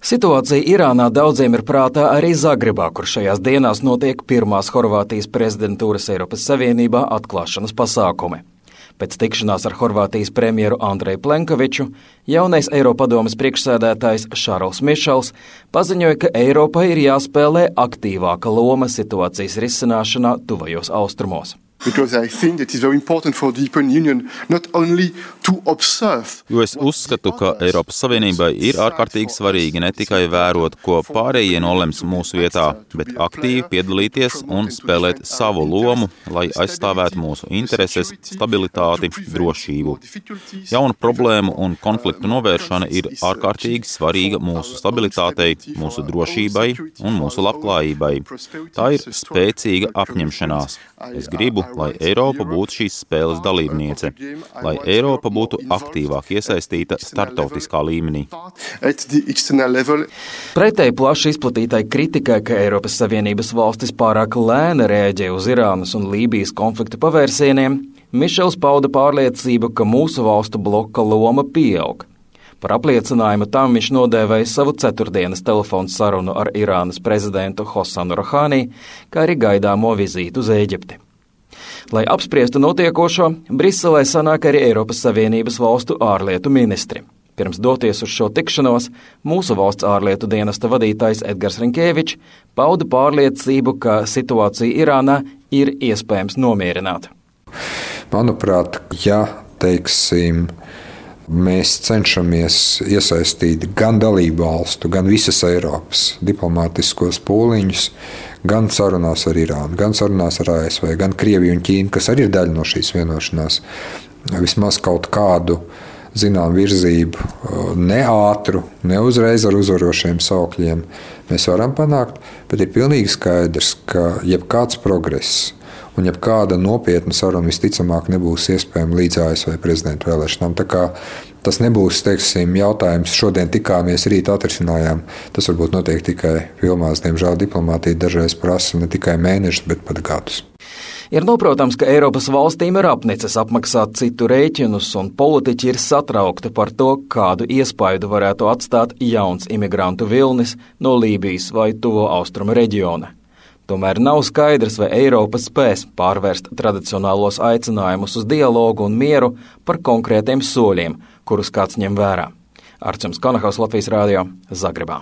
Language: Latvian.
Situācija Irānā daudziem ir prātā arī Zagrebā, kur šajās dienās notiek pirmās Horvātijas prezidentūras Eiropas Savienībā atklāšanas pasākumi. Pēc tikšanās ar Horvātijas premjeru Andreju Plenkoviču, jaunais Eiropadomes priekšsēdētājs Šarls Mišels paziņoja, ka Eiropai ir jāspēlē aktīvāka loma situācijas risināšanā tuvajos austrumos. Jo es uzskatu, ka Eiropas Savienībai ir ārkārtīgi svarīgi ne tikai vērot, ko pārējie nolems mūsu vietā, bet aktīvi piedalīties un spēlēt savu lomu, lai aizstāvētu mūsu intereses, stabilitāti, drošību. Jaunu problēmu un konfliktu novēršana ir ārkārtīgi svarīga mūsu stabilitātei, mūsu drošībai un mūsu labklājībai. Tā ir spēcīga apņemšanās. Es gribu, lai Eiropa būtu šīs spēles dalībniece, lai Eiropa būtu aktīvāk iesaistīta starptautiskā līmenī. Pretēji plaši izplatītai kritikai, ka Eiropas Savienības valstis pārāk lēni rēģē uz Irānas un Lībijas konfliktu pavērsieniem, Mišels pauda pārliecību, ka mūsu valstu bloka loma pieaug. Par apliecinājumu tam viņš nodēvēja savu ceturtdienas telefonu sarunu ar Irānas prezidentu Hosanu Rohani, kā arī gaidāmo vizīti uz Ēģipti. Lai apspriestu notiekošo, Briselē sanāk arī Eiropas Savienības valstu ārlietu ministri. Pirms doties uz šo tikšanos, mūsu valsts ārlietu dienesta vadītājs Edgars Rinkēvičs pauda pārliecību, ka situācija Irānā ir iespējams nomierināt. Manuprāt, mēs cenšamies iesaistīt gan dalību valstu, gan visas Eiropas diplomātiskos pūliņus, gan sarunās ar Irānu, gan sarunās ar ASV, gan Krieviju un Ķīnu, kas arī ir daļa no šīs vienošanās. Vismaz kaut kādu zinām virzību, ne ātru, ne uzreiz ar uzvarošiem saukļiem mēs varam panākt, bet ir pilnīgi skaidrs, ka jebkāds progress un jebkāda nopietna saruna visticamāk nebūs iespējama līdz ASV prezidenta vēlēšanām. Tā kā tas nebūs, jautājums, šodien tikāmies, rīt atrisinājām. Tas varbūt notiek tikai filmās. Diemžēl diplomātija dažreiz prasa ne tikai mēnešus, bet pat gadus. Ir noprotams, ka Eiropas valstīm ir apnicis apmaksāt citu rēķinus, un politiķi ir satraukti par to, kādu iespaidu varētu atstāt jauns imigrantu vilnis no Lībijas vai Tuvo Austrumu reģiona. Tomēr nav skaidrs, vai Eiropa spēs pārvērst tradicionālos aicinājumus uz dialogu un mieru par konkrētiem soļiem, kurus kāds ņem vērā. Arčuns Konahaus, Latvijas Rādio, Zagrebā.